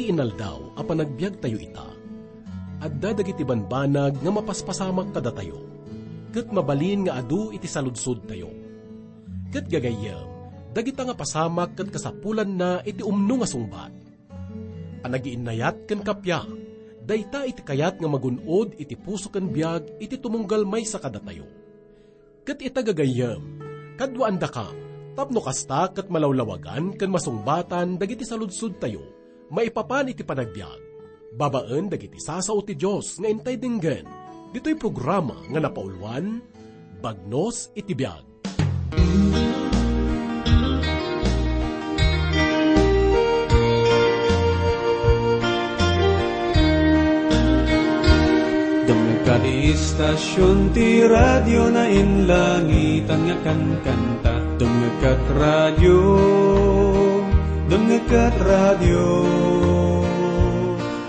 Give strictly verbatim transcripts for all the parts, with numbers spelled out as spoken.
Iti inaldaw a panagbiagtayo ita, adda dagiti banbanag nga mapaspasamak kadatayo, ket mabalin nga adu iti saludsodtayo. Ket gagayyem, dagita nga pasamak ket kasapulanna iti umno nga sungbat. Panagiinnayat ken kappia, dayta iti kayat nga magun-od iti puso ken biag iti tumunggal maysa kadatayo. Ket ita gagayyem, kaduaandakam, tapno kasta ket malawlawagan ken masungbatan dagiti saludsodtayo maipapan iti panagbiag, babaen dagiti sasao ti Dios nga intay denggen, ditoy programa nga napauluan, Bagnos iti Biag. Dumngeg ka ti istasion ti radio na inlangitan nga kankanta. Dumngeg kat radio, dumngeg kat radio.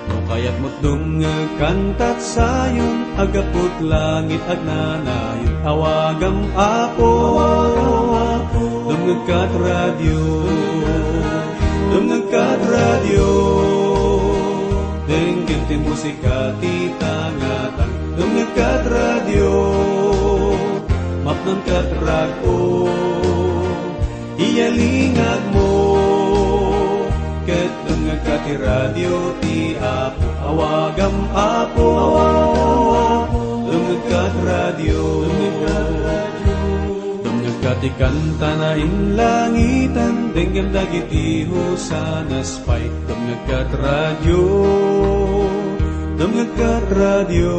No kayatmo't dumngeg kantat sayon, aggapu't langit agnanayon. Awagam, Apo, dumngeg kat radio, dumngeg kat radio. Denggen ti musika ti tangatang. Dumngeg kat radio, mapnon kat rag-o. Iyalingagmo, ket dumngegka ti radio ti Apo. Awagam, Apo, dumngegka ti radio. Dumngegka ti kanta na inlangitan, denggem dagiti hosanas pay. Dumngegka ti radio, dumngegka ti radio.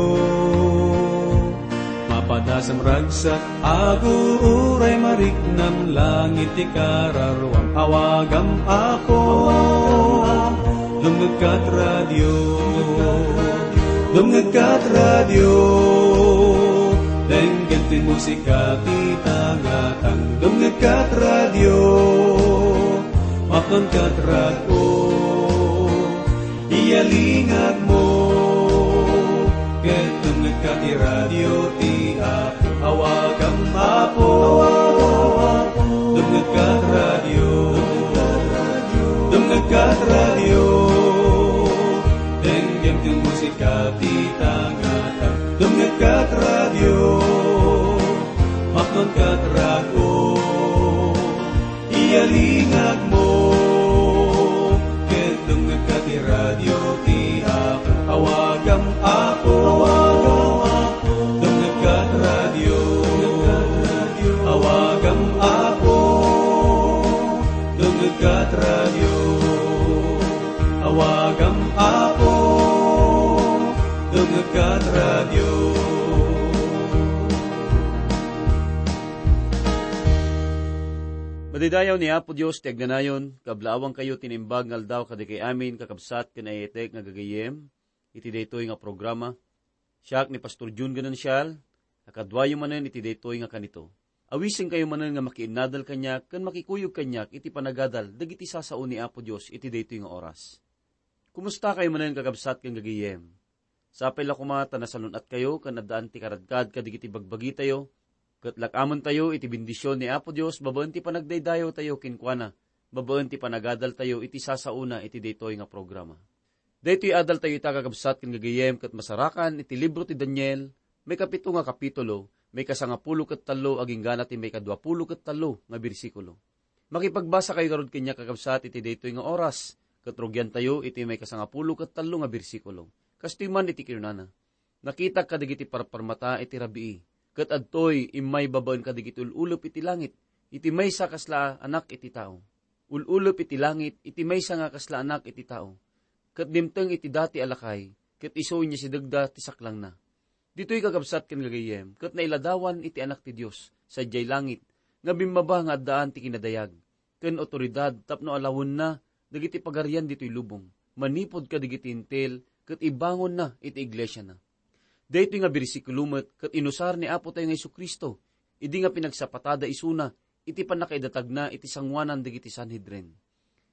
Mapadasam ragsak, aguray mariknam, langit ti kararuam. Awagam, Apo, dumngegka ti radio, dumngegka ti radio. Denggen ti musika ti tangatang, dumngegka ti radio, mapnonka ti rag-o. Iyalingagmo, ket dumngegka ti radio ti Apo. Awagam, Apo, dumngegka ti radio, dumngegka ti radio. Denggem ti musika ti tangatang, dumngegka ti radio, mapnonka ti rag-o. Iyalingagmo, ket dumngegka ti radio ti Apo. Awagam, Apo, dumngegka ti radio. Awagam, Apo, dumngegka ti radio. Awagam, Apo, dumngegka ti radio. Madidayaw ni Apo Dios ti agnanayon, kablaawankayo ti naimbag nga aldaw kadagiti amin, kakabsat ken ay-ayatek nga gagayyem, iti daytoy nga programa. Siak ni Pastor Jun Ganunsial, a kaduayo manen iti daytoy nga kanito. Awisenkayo manen nga makiinnadal kaniak ken makikuyog kaniak iti panagadal dagiti sasao ni Apo Dios iti daytoy nga oras. Kumustakayo manen, kakabsat ken gagayyem? Sapay la koma ta nasalun-atkayo ken addaan ti karadkad kadagiti bagbagitayo, ket lak-amentayo iti bendision ni Apo Dios babaen ti panagdaydayawtayo kenkuana, babaen ti panagadaltayo iti sasaona iti daytoy nga programa. Daytoy adaltayo ita, kakabsat ken gagayyem, ket masarakan iti libro ti Daniel, maikapito nga kapitulo, maikasangapulo ket tallo agingga na ti maikaduapulo ket tallo nga bersikulo. Makipagbasakayo ngarud kaniak, kakabsat, iti daytoy nga oras, ket rugiantayo iti maikasangapulo ket tallo nga bersikulo. Kastoy man iti kinunana, "Nakitak kadagiti parparmata iti rabii, ket adtoy immay babaen kadagiti ul-ulep iti langit, iti maysa kasla anak iti tao. Ul-ulep iti langit iti maysa nga kasla anak iti tao, ket dimteng iti dati a lakay, ket isu inyasidegda ti saklangna." Ditoy, kakabsat ken gagayyem, ket nailadawan iti Anak ti Dios sadiay langit nga bimmaba nga addaan ti kinadayag ken awtoridad tapno alawenna dagiti pagarian ditoy lubong manipud kadagiti Hentil ket ibangonna iti iglesiana. Daytoy nga bersikulo met ket inusar ni Apotayo nga Jesu-Cristo idi nga pinagsapatada isuna iti pannakaidatagna iti sangoanan dagiti Sanhedrin.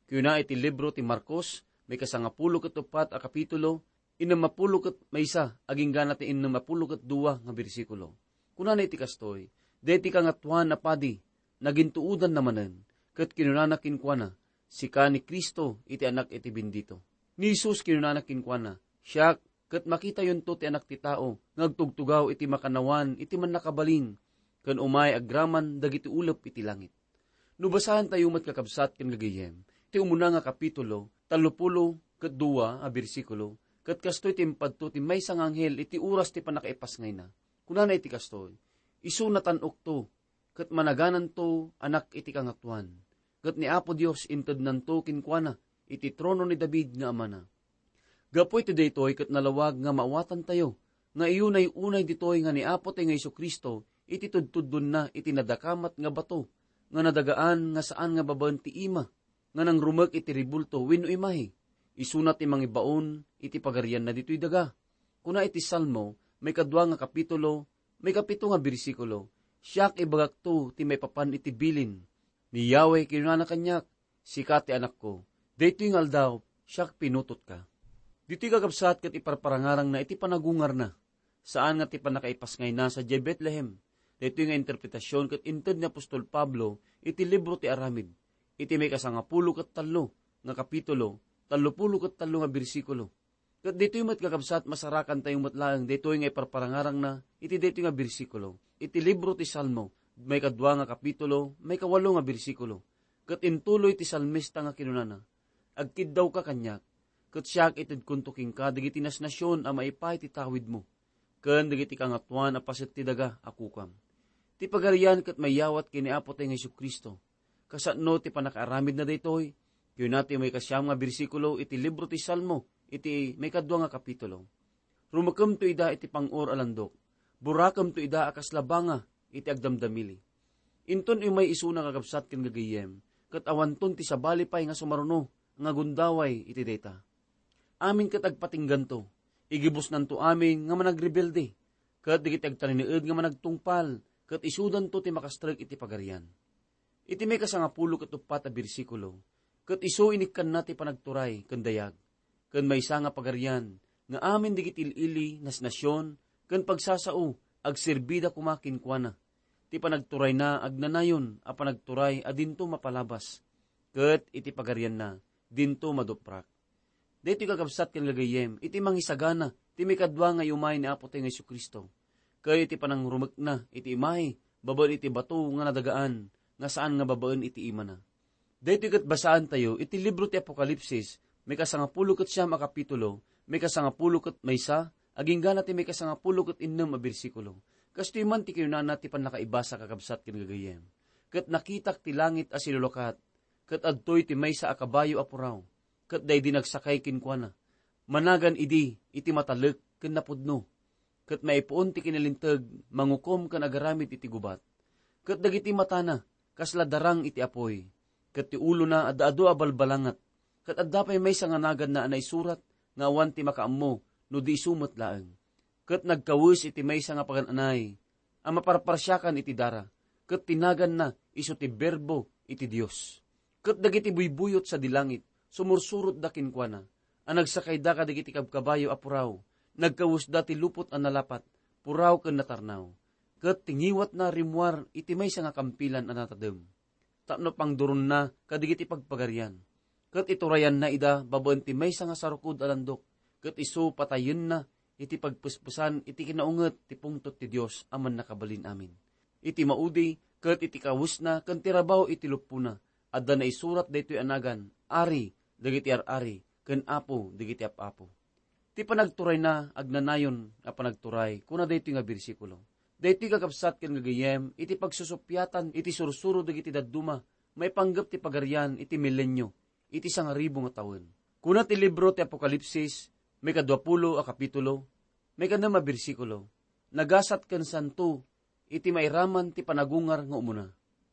Kuna iti libro ti Marcos, maikasangapulo ket uppat a kapitulo, innem a pulo ket maysa agingga na ti innem a pulo ket dua nga bersikulo. Kunana iti kastoy, "Daytoy Kangatoan a Padi, nagintuodanna manen, ket kinunana kenkuana, 'Sika ni Cristo iti Anak iti Bendito.'" Ni Jesus kinunana kenkuana, "Siak, ket makitayonto ti Anak ti Tao nga agtugtugaw iti makannawan iti Mannakabalin, ken umay agraman dagiti ulep iti langit." No basaentayo met, kakabsat ken gagayyem, ti umuna nga kapitulo, tallopulo ket dua a bersikulo, ket kastoy ti impadto ti maysa nga anghel iti oras ti pannakaipasngayna. Kunana iti kastoy, "Isu natan-okto, ket managananto Anak iti Kangatoan, ket ni Apo Dios intednanto kenkuana iti trono ni David nga amana." Gapu iti daytoy ket nalawag nga maawatantayo nga iyunay-unay ditoy nga ni Apo tayo nga Jesu-Cristo iti tudtuddonna iti nadakamat nga bato nga nadagaan nga saan nga babaen ti ima nga nangrumek iti rebulto wenno imahe. Isuna ti mangibaon iti pagarianna ditoy daga. Kuna iti Salmo, maikadua nga kapitulo, maikapito nga bersikulo, "Siak ibagakto ti maipapan iti bilin ni Yahweh," kinunana kaniak, "Sika ti anakko. Daytoy nga aldaw, siak pinutotka." Ditoy, kakabsat, ket iparparangarangna iti panagungarna. Saan nga ti pannakaipasngayna sadiay Betlehem. Daytoy nga interpretasion ket inted ni apostol Pablo iti libro ti Aramid, iti maikasangapulo ket tallo nga kapitulo, tallopulo ket tallo nga bersikulo. Ket ditoy met, kakabsat, masarakantayo met laeng daytoy nga iparparangarangna iti daytoy nga bersikulo iti libro ti Salmo, maikadua nga kapitulo, maikawalo nga bersikulo. Ket intuloy ti salmista nga kinunana, "Agkiddawka kaniak, ket siak itedkonto kenka dagiti nasnasion a maipaay ti tawidmo, ken dagiti kangatoan a paset ti daga a kukam." Ti Pagarian ket mayawat ken ni Apo tayo nga Jesu-Cristo. Kasano ti pannakaaramidna daytoy? Kuna ti maikasiam nga bersikulo iti libro ti Salmo iti maikadua nga kapitulo, "Rumekemto ida iti pang-or a landok. Burakemto ida a kas labanga iti agdamdamili." Inton umay isuna, kakabsat ken gagayyem, ket awanton ti sabali pay nga sumaruno nga gundaway iti dayta. Amin ket agpatingganto. Igibusnanto amin nga managrebelde, ket dagiti agtalinaed nga managtungpal, ket isudanto ti makastrek iti Pagarian. Iti maikasangapulo ket uppat a bersikulo, ket isu inikkanna ti panagturay ken dayag, ken maysa nga pagarian nga amin dagiti il-ili, nasnasion, ken pagsasao, agserbida koma kenkuana. Ti panagturayna agnanayon a panagturay a dinto mapalabas, ket iti pagarianna dinto maduprak. Daytoy, kakabsat ken gagayyem, iti mangisagana ti maikadua nga iumay ni Apo tayo nga Jesu-Cristo, ken iti panangrumekna iti imahe babaen iti bato nga nadagaan nga saan nga babaen iti imana. Daytoy ket basaantayo iti libro ti Apokalipsis, maikasangapulo ket siam a kapitulo, maikasangapulo ket maysa, agingga na ti maikasangapulo ket innem a bersikulo. Kastoy man ti kinunana ti pannakaibasa, kakabsat ken gagayyem, "Ket nakitak ti langit a silulakat, ket adtoy ti maysa a kabayo a puraw, ket daydi nagsakay kenkuana. Managan idi iti matalek ken napudno, ket maipuon ti kinalinteg, mangukom ken agaramid iti gubat. Ket dagiti matana kasla darang iti apuy, ket ti ulona adda adu a balbalangat, ket adda pay maysa nga naganna a naisurat nga awan ti makaammo no di isu met laeng. Ket nagkawes iti maysa nga pagan-anay a maparparsiakan iti dara, ket ti naganna isu ti Berbo iti Dios. Ket dagiti buybuyot sadi langit sumursurotda kenkuana, a nagsakayda kadagiti kabkabayo a puraw, nagkawesda ti lupot a nalapat, puraw ken natarnaw, ket ti ngiwatna rimmuar iti maysa nga kampilan a natadem, tapno pangduronna kadagiti pagpagarian, ket iturayanna ida babaen ti maysa nga sarukod a landok, ket isu patayenna iti pagpespesan iti kinaunget ti pungtot ti Dios a Mannakabalin-amin. Iti maudi ket iti kawesna ken ti rabaw iti luppona, adda naisurat daytoy a nagan, Ari dagiti ar-ari ken Apo dagiti ap-apo." Ti panagturayna agnanayon a panagturay, kuna daytoy nga bersikulo. Daytoy, kakabsat ken gagayyem, iti pagsusuppiatan iti sursuro dagiti dadduma maipanggep ti Pagarian iti milenio, iti sangaribu nga tawen. Kuna ti libro ti Apokalipsis, maikaduapulo a kapitulo, maikanem a bersikulo, "Nagasat ken santo iti mairaman ti panagungar nga umuna.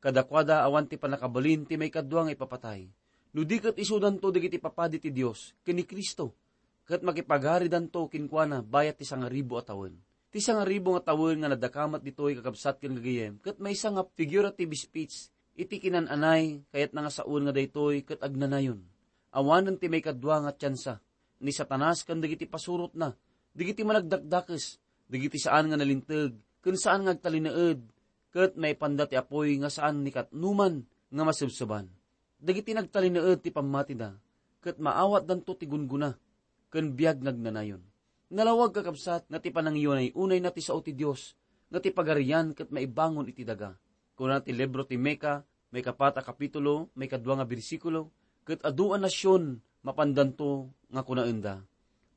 Kadakuada awan ti pannakabalin ti maikadua nga ipapatay, no di ket isudanto dagiti papadi ti Dios ken ni Cristo, ket makipagaridanto kenkuana bayat ti sangaribu a tawen." Ti sangaribu nga tawen nga nadakamat ditoy, kakabsat ken gagayyem, ket maysa nga figurative speech iti kinan-anay, kayatna nga sawen nga daytoy ket agnanayon. Awanen ti maikadua nga tiansa. Ni Satanas ken dagiti pasurotna, dagiti managdakdakes, dagiti saan nga nalinteg ken saan nga agtalinaed, ket maipanda ti apuy nga saan ni katnoman nga masebseban. Dagiti nagtalinaed ti pammatida, ket maawatdanto ti gunggona ken biag nga agnanayon. Nalawag, kakabsat, nga ti panangiyunay-unayna ti sao ti Dios, nga ti Pagarian ket maibangon iti daga. Kuna ti libro ti Mika, maikapat a kapitulo, maikadua nga bersikulo, "Ket adu a nasion mapandanto nga kunaenda,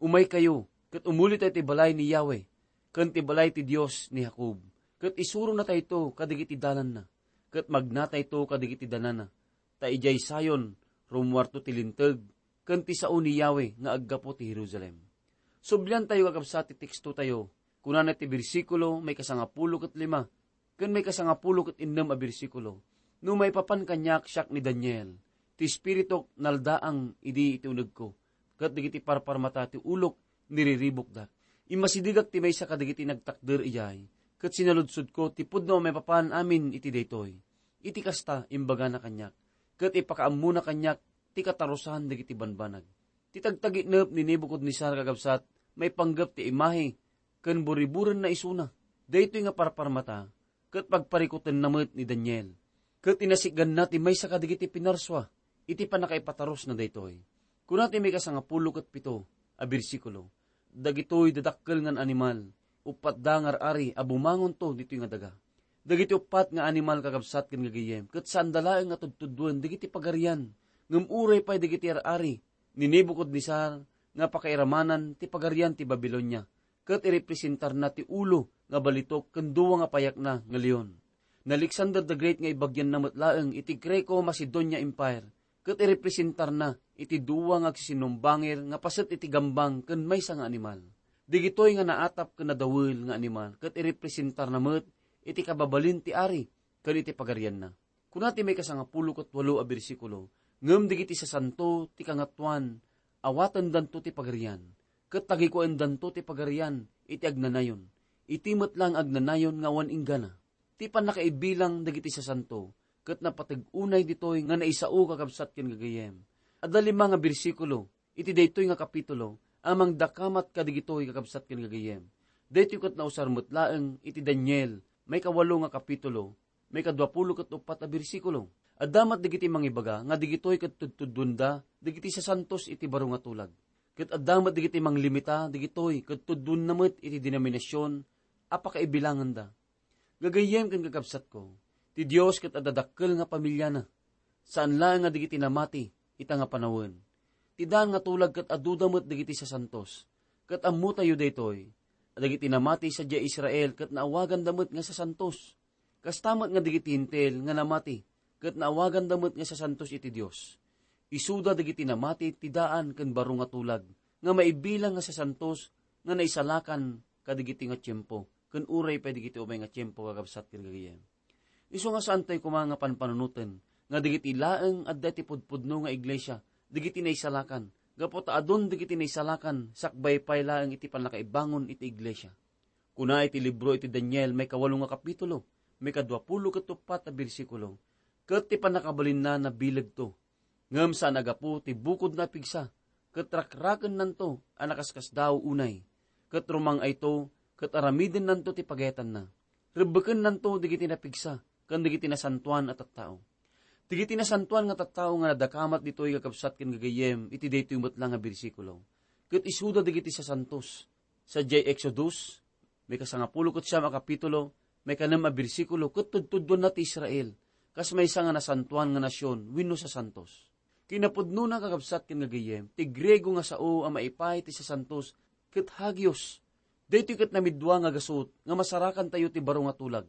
'Umaykayo, ket umulitayo ti balay ni Yahweh, ken ti balay ti Dios ni Jacob, ket isuronatayto kadagiti dalanna, ket magnatayto kadagiti danana, ta idiay Sion rummuarto ti linteg ken ti sao ni Yahweh nga aggapu ti Jerusalem.'" Subliantayo, kakabsat, ti tekstotayo. Kunana ti bersikulo, maikasangapulo ket lima, ken maikasangapulo ket innem a bersikulo, "No maipapan kaniak, siak ni Daniel, ti espirituk naldaang idi iti unegko, ket dagiti parparmata ti ulok niriribukdak. Immasidegak ti maysa kadagiti nagtakder idiay, ket sinaludsodko ti pudno a maipapan amin iti daytoy. Iti kasta, imbagana kaniak, ket ipakaammona kaniak ti katarosan dagiti banbanag." Ti tagtaginep ni Nebuchadnezzar, kakabsat, maipanggep ti imahe ken buriburenna isuna. Daytoy nga parparmata ket pagparikutenna met ni Daniel, ket inasikganna ti maysa kadagiti pinarsua iti pannakaipatarosna daytoy. Kuna ti maikasangapulo ket pito a bersikulo, "Dagitoy dadakkel nga animal, uppat da nga ar-ari a bumangonto ditoy nga daga." Dagiti uppat nga animal, kakabsat ken gagayyem, ket saanda laeng nga tudtuduen dagiti pagarian, ngem uray pay dagiti ar-ari ni Nebuchadnezzar nga pakairamanan ti pagarian ti Babilonia, ket irepresentarna ti ulo nga balitok ken dua nga payakna nga leon. Ni Alexander the Great nga ibagianna met laeng iti Greco-Macedonia Empire, ket irepresentarna iti dua nga agsisinnumbangir nga paset iti gambang ken maysa nga animal. Dagitoy nga naatap ken nadawel nga animal ket irepresentarna met iti kababalin ti ari ken iti pagarianna. Kuna ti maikasangapulo ket walo a bersikulo, "Ngem dagiti sasanto ti Kangatoan, awatendanto ti pagarian, ket tagikuendanto ti pagarian iti agnanayon, iti met la nga agnanayon nga awan inggana." Ti pannakaibilang dagiti sasanto ket napateg unay ditoy nga naisao, kakabsat ken gagayyem. Adda lima nga bersikulo iti daytoy nga kapitulo a mangdakamat kadagitoy, kakabsat ken gagayyem. Daytoy ket nausar met laeng iti Daniel, maikawalo nga kapitulo, maikaduapulo ket uppat a bersikulo. Adda met dagiti mangibaga nga dagitoy ket tudtuduenda dagiti sasantos iti baro nga tulag. Ket adda met dagiti manglimita dagitoy ket tudtuenna met iti denominasion a pakaibilanganda. Gagayyem ken kakabsatko, ti Dios ket adda dakkel nga pamiliana. Saan laeng nga dagiti namati ita nga panawen. Ti daan nga tulag ket aduda met dagiti sasantos. Ket ammotayo daytoy, dagiti namati sadiay Israel ket naawaganda met nga sasantos. Kasta met nga dagiti Hentil nga namati ket naawaganda met nga sasantos iti Dios. Isuda dagiti namati ti daan ken baro nga tulag nga maibilang nga sasantos nga naisalakan kadagiti nga tiempo, ken uray pay dagiti umay nga tiempo, kakabsat ken gagayyem. Isu nga saantayo koma nga panpanunoten nga dagiti laeng adda iti pudpudno nga iglesia, dagiti naisalakan, gapu ta adun dagiti naisalakan sakbay pay laeng iti pannakaibangon iti iglesia. Kuna iti libro iti Daniel, maikawalo nga kapitulo, maikaduapulo ket uppat a bersikulo, "Ket ti pannakabalinna nabilegto, ngem saan a gapu ti bukodna a pigsa, ket rakrakennanto a nakaskasdaaw unay, ket rumang-ayto ket aramidennanto ti pagayatanna. Rebbekennanto dagiti napigsa ken dagiti nasantoan a tattao." Dagiti nasantoan nga tattao nga nadakamat ditoy, kakabsat ken gagayyem, iti daytoy met la nga bersikulo, ket isuda dagiti sasantos. Sadiay Exodus, maikasangapulo ket siam a kapitulo, maikanem a bersikulo, ket tudtuduenna ti Israel kas maysa nga nasantoan nga nasion wenno sasantos. Kinapudnona, kakabsat ken gagayyem, ti Griego nga sao a maipaay ti sasantos ket hagios. Daytoy ket namidua nga gasut nga masarakantayo ti baro nga tulag.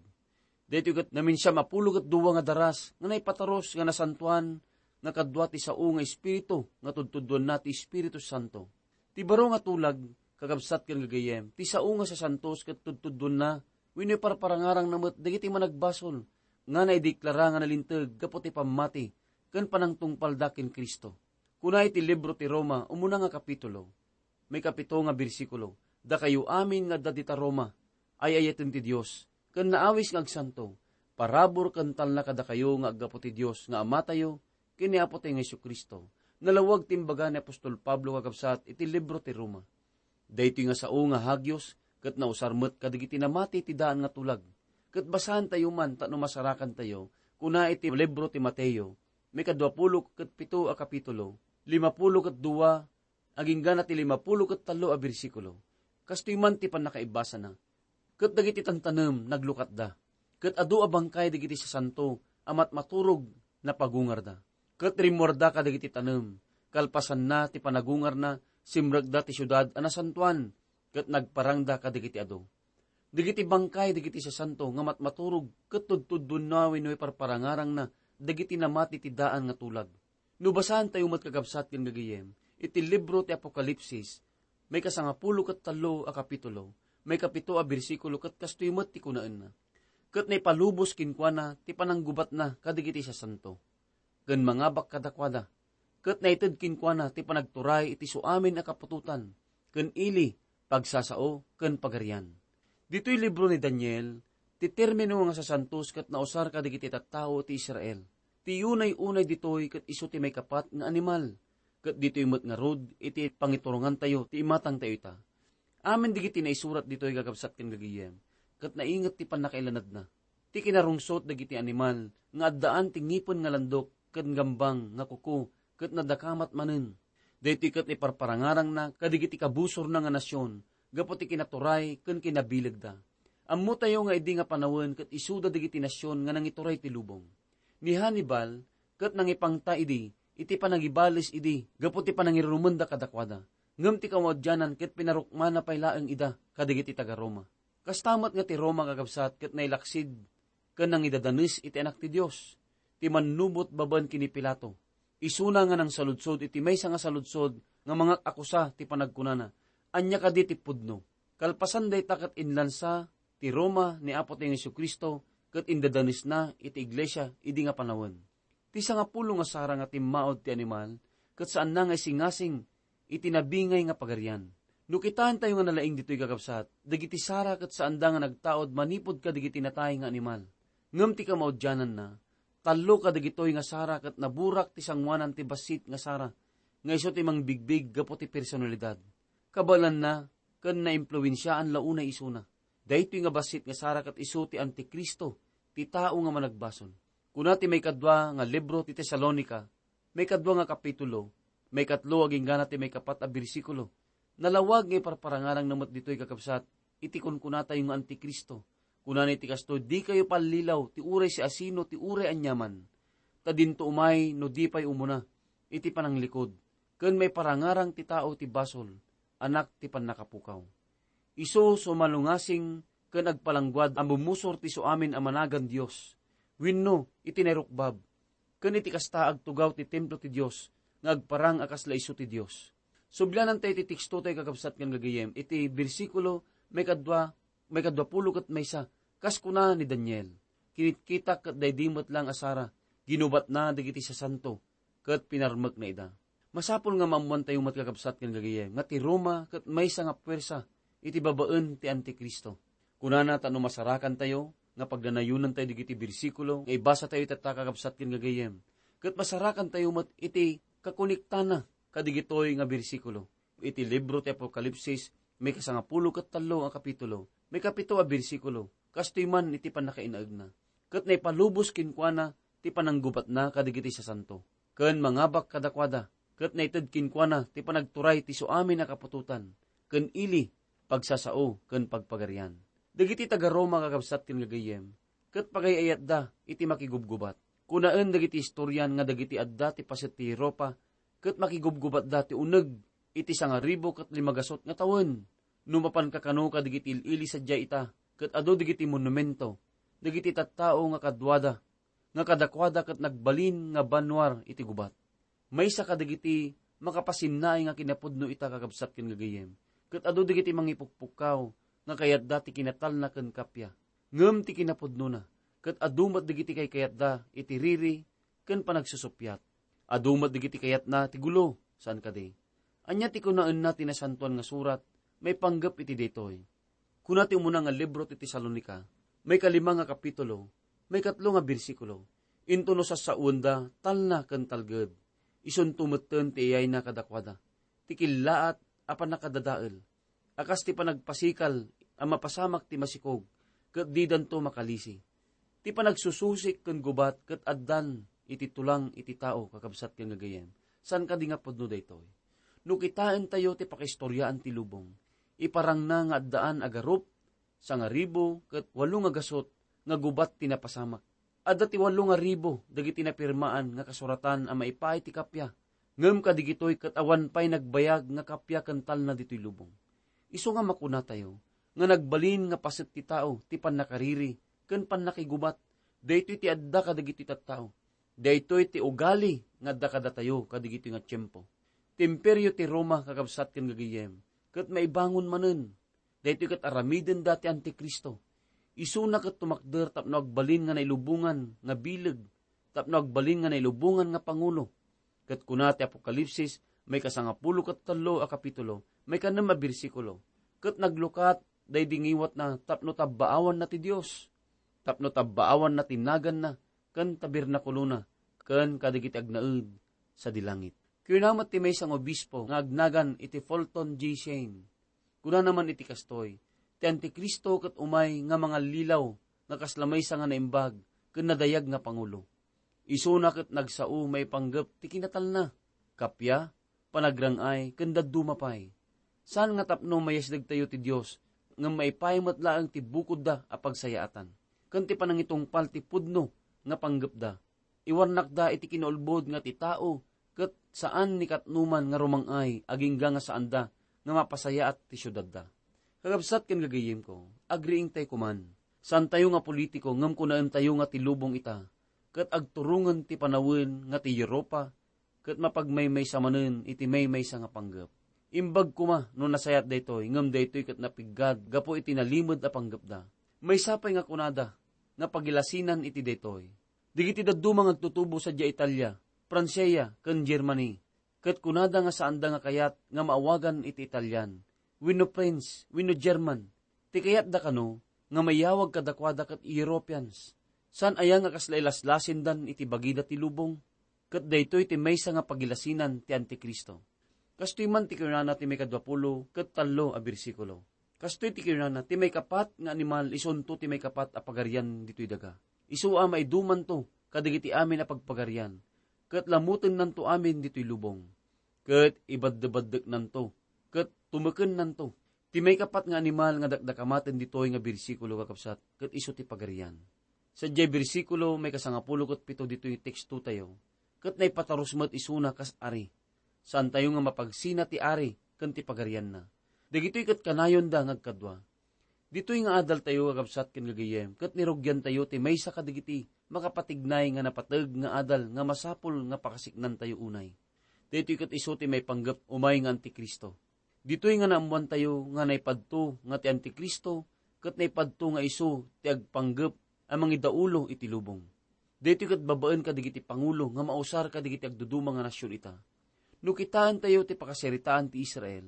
Daytoy ket naminsiam a pulo ket dua nga daras nga naipataros nga nasantoan nga kadua ti sao nga espiritu nga tudtuduenna ti Espiritu Santo. Ti baro nga tulag, kakabsat ken gagayyem, ti sao nga sasantos ket tudtuduenna wenno iparparangarangna met dagiti managbasol nga naideklara nga nalinteg gapu ti pammati ken panangtungpalda ken Cristo. Kuna iti libro ti Roma, umuna nga kapitulo, maikapito nga bersikulo, "Dakayo amin nga adda dita Roma, ay-ayaten ti Dios, ken naawis nga agsanto, parabur ken talna kadakayo nga aggapu ti Dios nga Amatayo ken ni Apotayo nga Jesu-Cristo." Nalawag ti imbaga ni apostol Pablo, kakabsat, iti libro ti Roma. Daytoy nga sao nga hagios ket nausar met kadagiti namati ti daan nga tulag. Ket basaentayo man tapno masarakantayo, kuna iti libro ti Mateo, maikaduapulo ket pito a kapitulo, limapulo ket dua, aginggana ti limapulo ket tallo a bersikulo. Kastoy man ti pannakaibasana. Ket dagiti tantanem naglukatda. Ket adu a bangkay dagiti sasanto a matmaturog napagungarda. Ket rimmuarda kadagiti tanem. Kalpasanna ti panagungarna, simrekda ti siudad a nasantoan, ket nagparangda kadagiti adu. Dagiti bangkay dagiti sasanto nga matmaturog ket tudtudduenna wenno iparparangarangna dagiti namati ti daan nga tulag. No basaentayo met, kakabsat ken gagayyem, iti libro ti Apokalipsis, maikasangapulo ket tallo a kapitulo, maikapito a bersikulo, ket kastoy met ti kunaenna: "Ket naipalubos kenkuana ti pananggubatna kadagiti sasanto, ken mangabak kadakuada, ket naited kenkuana ti panagturay iti suamin a kaputotan, ken ili, pagsasao, ken pagarian." Ditoy libro ni Daniel, ti termino nga sasantos ket nausar kadagiti tattao ti Israel. Ti unay-unay ditoy ket isu ti maikapat nga animal, ket ditoy met ngarud iti pangiturongantayo ti imatangtayo ita. Amin dagiti naisurat ditoy, kakabsat ken gagayyem, ket nainget ti pannakailanadna. Ti kinarungsot dagiti animal nga addaan ti ngipen nga landok ken gambang nga kuko ket nadakamat manen. Daytoy ket iparparangarangna kadagiti kabusorna nga nasion gapu ti kinaturay ken kinabilegda. Ammotayo nga idi nga panawen ket isuda dagiti nasion nga nangituray ti lubong. Ni Hannibal ket nangipangta idi iti panangibales idi gapu ti panangirurumenda kadakuada. Ngem ti kamaudianan ket pinarukmana pay laeng ida kadagiti taga-Roma. Kasta met nga ti Roma, kakabsat, ket nailaksid ken nangidadanes iti Anak ti Dios, ti mannubot babaen ken ni Pilato. Isuna nga nangsaludsod iti maysa nga saludsod nga mangak-akusa ti panagkunana, "Ania kadi ti pudno?" Kalpasan dayta ket inlansa ti Roma ni Apotayo Jesu-Cristo ket indadanesna iti iglesia idi nga panawen. Ti sangapulo nga sara nga timmaud ti animal ket saanna nga isingasing iti nabingay nga pagarian. No kitaentayo nga nalaing ditoy, kakabsat, dagiti sara ket saanda nga nagtaud manipud kadagiti natay nga animal. Ngem ti kamaudiananna, tallo kadagitoy nga sara ket naburak ti sangoanan ti bassit nga sara, nga isu ti mangbigbig gapu ti personalidad. Kabaelanna ken naimpluensiaan la unay isuna. Daytoy nga bassit nga sara ket isu ti Antikristo, ti tao nga managbasol. Kuna ti maikadua nga libro ti Tesalonica, maikadua nga kapitulo, maikatlo aginggana ti maikapat a bersikulo. Nalawag nga iparparangarangna met ditoy, kakabsat, iti kunkunatayo nga Antikristo. Kunana iti kastoy, "Dikayo pallilaw ti uray siasino ti uray aniaman, ta dinto umay no di pay umuna iti pananglikud, ken maiparangarang ti tao ti basol, anak ti pannakapukaw. Isu sumalungasing ken agpalangguad a mumusor ti suamin a managan Dios, wenno iti nairukbab, ken iti kasta, agtugaw ti templo ti Dios nga agparang a kasla isu ti Dios." Sublianantayo ti tekstotayo, kakabsat ken gagayyem, iti bersikulo maikadua, maikadua pulo ket maysa, kas kuna ni Daniel, "Kinitkitak ket daydi met laeng a sara, ginubatna dagiti sasanto, ket pinarmekna ida." Masapul nga maammoantayo met, kakabsat ken gagayyem, nga ti Roma ket maysa nga puwersa iti babaen ti Antikristo. Kunana ta no masarakantayo nga pagdanayonantayo dagiti bersikulo nga ibasatayo itatta, kakabsat ken gagayyem, ket masarakantayo met iti kakoniktana kadigitoy nga bersikulo. Iti libro ti Apokalipsis, maikasangapulo ket tallo a kapitulo, maikapito a bersikulo, kastoy man iti pannakainaegna, "Ket naipalubos kenkuana ti pananggubatna kadigiti sasanto, ken mangabak kadakuada, ket naited kenkuana ti panagturay ti suamin a kaputotan, ken ili, pagsasao, ken pagpagarian." Dagiti taga-Roma, kakabsat ken gagayyem, ket pagay-ayatda iti makigubgubat. Kunaen dagiti historian nga dagiti adda ti paset ti Europa ket makigubgubatda ti uneg iti sangaribu ket limagasut nga tawen. No mapanka kano kadigiti il-ili sadiay ita, ket adu dagiti monumento, dagiti tattao nga kaduada, nga kadakuada ket nagbalin nga bannuar iti gubat. Maysa kadagiti makapasinnaay nga kinapudno ita, kakabsat ken gagayyem, ket adu dagiti mangipukpukkaw nga kayatda ti kinatalna ken kappia. Ngem ti kinapudnona, ket adu met dagiti kaykayatda iti riri ken panagsusuppiat. Adu met dagiti kayatna ti gulo, saan kadi? Ania ti kunaenna ti Nasantoan nga Surat maipanggep iti daytoy? Kuna ti umuna nga libro ti Tesalonica, maikalima nga kapitulo, maikatlo nga bersikulo, "Intono sassaoenda talna ken talged, isunto metten ti iyayna kadakuada, ti killaat a pannakadadael, a kas ti panagpasikal a mapasamak ti masikog, ket didanto makalisi. Ti panagsususik ken gubat ket addan iti tulang iti tao," kakabsat ken gagayyem. Saan kadi nga pudno daytoy? No kitaentayo ti pakaistoriaan ti lubong, iparangna nga addaan a garup, sangaribu, ket walo nga gasut nga gubat ti napasamak. Adda ti walo nga ribu dagiti napirmaan nga kasuratan a maipaay ti kappia, ngem kadigitoy ket awan pay nagbayag nga kappia ken talna ditoy lubong. Isu nga makunatayo nga nagbalin nga paset ti tao ti pannakariri ken pannakigubat. Daytoy ti adda kadagiti tattao. Daytoy ti ugali nga adda kadatayo kadigitoy nga tiempo. Ti Imperio ti Roma, kakabsat ken gagayyem, ket maibangon manen. Daytoy ket aramidenda ti Antikristo. Isuna ket tumakder tapno agbalin nga nailubongan nga bileg, tapno agbalin nga nailubongan nga pangulo. Ket kuna ti Apokalipsis, maikasangapulo ket tallo a kapitulo, maikanem a bersikulo, ket naglukat daydi ngiwatna tapno tabbaawanna ti Dios, tapno tabbaawanna ti naganna ken tabernakulona ken kadagiti agnaed sadi langit. Kuna met ti maysa nga obispo nga agnagan iti Fulton G. Shane. Kunana man iti kastoy, ti Antikristo ket umay nga mangallilaw nga kasla maysa nga naimbag ken nadayag nga pangulo. Isuna ket nagsao maipanggep ti kinatalna, kappia, panagrang-ay, ken dadduma pay. Saan nga tapno mayasdegtayo ti Dios, ngem maipaay met laeng ti bukodda a pagsayaatan, ken ti panangitungpal ti pudno nga panggepda. Iwarnakda iti kinaulbod nga ti tao, ket saan ni katnoman nga rumang-ay agingga nga saanda nga mapasayaat ti siudadda. Kakabsat ken gagayyemko, agriingtay koman. Saantayo nga politiko ngem kunaentayo nga ti lubong ita, ket agturongen ti panawen nga ti Europa, ket mapagmaymaysa manen iti maymaysa nga panggep. Imbag koma no nasayaat daytoy, ngem daytoy ket napiggad gapu iti nalimed a panggepda. Maysa pay nga kunada nga pagilasinan iti daytoy. Dagiti dadduma nga agtutubo sadiay Italia, Francia, ken Germany, ket kunada nga saanda nga kayat nga maawagan iti Italian, wenno French, wenno German. Ti kayatda kano nga mayawag kadakuada ket Europeans. Saan aya nga kasla ilaslasindan iti bagida ti lubong? Ket daytoy ti maysa nga pagilasinan ti Antikristo. Kastoy man ti kinunana ti maikadua pulo ket tallo a bersikulo. Kastoy ti kinunana, ti maikapat nga animal isunto ti maikapat a pagarian ditoy daga. Isu a maidumanto kadagiti amin a pagpagarian, ket lamutennanto amin ditoy lubong, ket ibaddebaddeknanto, ket tumekennanto. Ti maikapat nga animal nga dakdakamaten ditoy nga bersikulo, kakabsat, ket isu ti pagarian. Sadiay bersikulo, maikasangapulo ket pito ditoy tekstotayo, ket naipatarus met isuna kas ari. Saantayo nga mapagsina ti ari ken ti pagarianna. Dagitoy ket kanayonda nga agkadua. Ditoy nga adaltayo, kakabsat ken gagayyem, ket nirugiantayo ti maysa kadagiti makapatignay nga napateg nga adal nga masapul nga pakasiknantayo unay. Daytoy ket isu ti maipanggep umay nga Antikristo. Ditoy nga naammoantayo nga naipadto nga ti Antikristo ket naipadto nga isu ti agpanggep a mangidaulo iti lubong. Daytoy ket babaen kadagiti pangulo nga mausar kadagiti agduduma nga nasion ita. No kitaentayo ti pakasaritaan ti Israel,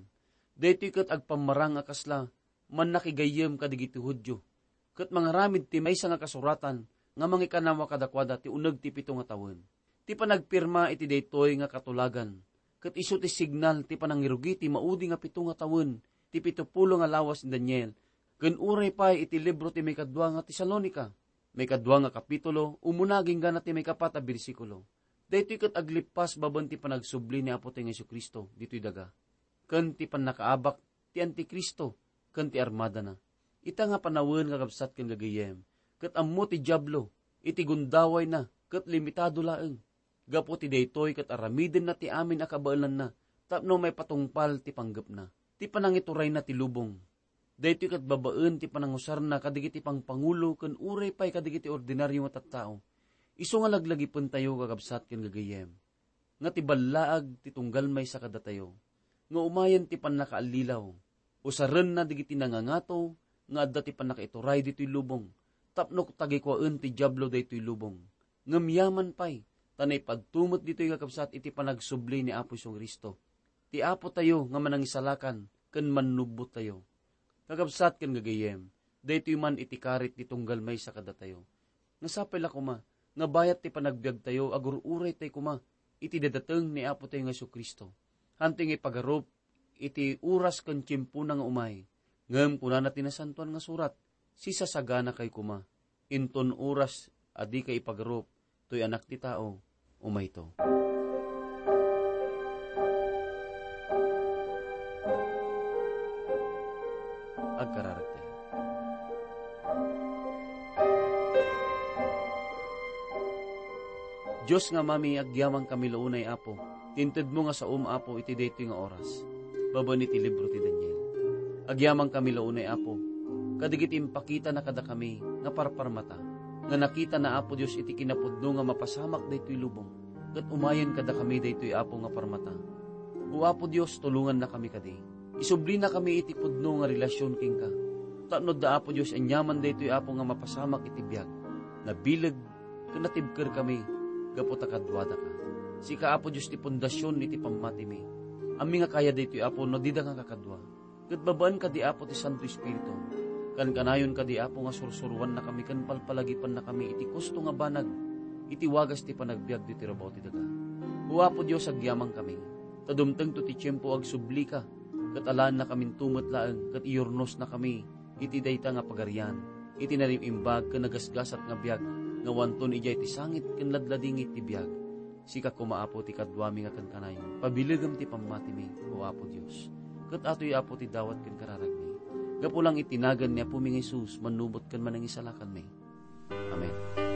daytoy ket agpammarang a kasla mannakigayyem kadagiti Judio, ket mangaramid ti maysa nga kasuratan nga mangikanawa kadakuada ti uneg ti pito nga tawen. Ti panagpirma iti daytoy nga katulagan, ket isu ti signal ti panangirugi ti maudi nga pito nga tawen ti pito pulo nga lawas ni Daniel, ken uray pay iti libro ti maikadua nga Tesalonica, maikadua nga kapitulo, umuna agingga na ti maikapat a bersikulo. Daytoy ket aglippas babaen ti panagsubli ni Apotayo nga Jesu-Cristo ditoy daga, ken ti pannakaabak ti Antikristo ken ti armadana. Ita nga panawen, kakabsat ken gagayyem, ket ammo ti Diablo iti gundawayna ket limitado laeng. Gapu ti daytoy ket aramidenna ti amin a kabaelanna tapno maipatungpal ti panggepna, ti panangiturayna ti lubong. Daytoy ket babaen ti panangusarna kadagiti pangpangulo ken uray pay kadagiti ordinario nga tattao. Isu nga laglagipentayo, kakabsat ken gagayyem, nga ti ballaag ti tunggal maysa kadatayo, nga umayen ti pannakaallilaw. Usarenna dagiti nangangato nga adda ti pannakaituray ditoy lubong, tapno tagikuaen ti Diablo daytoy lubong. Ngem yaman pay, ta naipadto met ditoy, kakabsat, iti panagsubli ni Apo Jesu-Cristo, ti Apotayo nga Manangisalakan ken Mannubbottayo. Kakabsat ken gagayyem, daytoy man iti karit ti tunggal maysa kadatayo. Nga sapay la koma nga bayat ti panagbiagtayo, agur-uraytay koma iti dadateng ni Apotayo nga Jesu-Cristo. Hantoy nga ipagarup iti oras ken tiempona nga umay. Ngem kunana ti Nasantoan nga Surat, "Sisasaganakay koma. Inton oras a dikay ipagarup toy Anak ti Tao, umayto." Agkararagtayo. Dios nga Amami, agyamankami la unay, Apo, ti intedmo nga saom, Apo, iti daytoy nga oras, babaen iti libro ti Daniel. Agyamankami la unay, Apo, kadagiti impakitana kadakami nga parparmata, nga nakitana, Apo Dios, iti kinapudno nga mapasamak daytoy lubong, ket umayen kadakami daytoy, Apo, nga parmata. O Apo Dios, tulongannakami kadi. Isublinakami iti pudno nga relasion kenka. Tapno adda, Apo Dios, aniaman daytoy, Apo, nga mapasamak iti biag. Nabileg ken natibkerkami gapu ta kaduadaka. Sika, Apo Dios, ti pundasion iti pammatimi. Ammi nga kaya daytoy, Apo, no dida nga kakadua. Ket babaen kadi, Apo, ti Santo Espiritu. Kankanayon kadi, Apo, nga sursuroannakami ken palpalagipannakami iti kusto nga banag, iti wagas ti panagbiag ditoy rabaw ti daga. O Apo Dios, agyamankami, ta dumtengto ti tiempo agsublika, ket alaennakaminto met laeng, ket iyurnosnakami iti dayta nga pagarian, iti narim-imbag ken nagasgasat nga biag, nga awanton idiay ti sangit ken ladladingit ti biag. Sika koma, Apo, ti kaduami nga kankanayon. Pabilegem ti pammatimi, O Apo Dios. Ket atoy, Apo, ti dawat ken kararagmi. Gapu lang iti nagan ni Apomi nga Jesus, mannubot ken manangisalakanmi. Amen.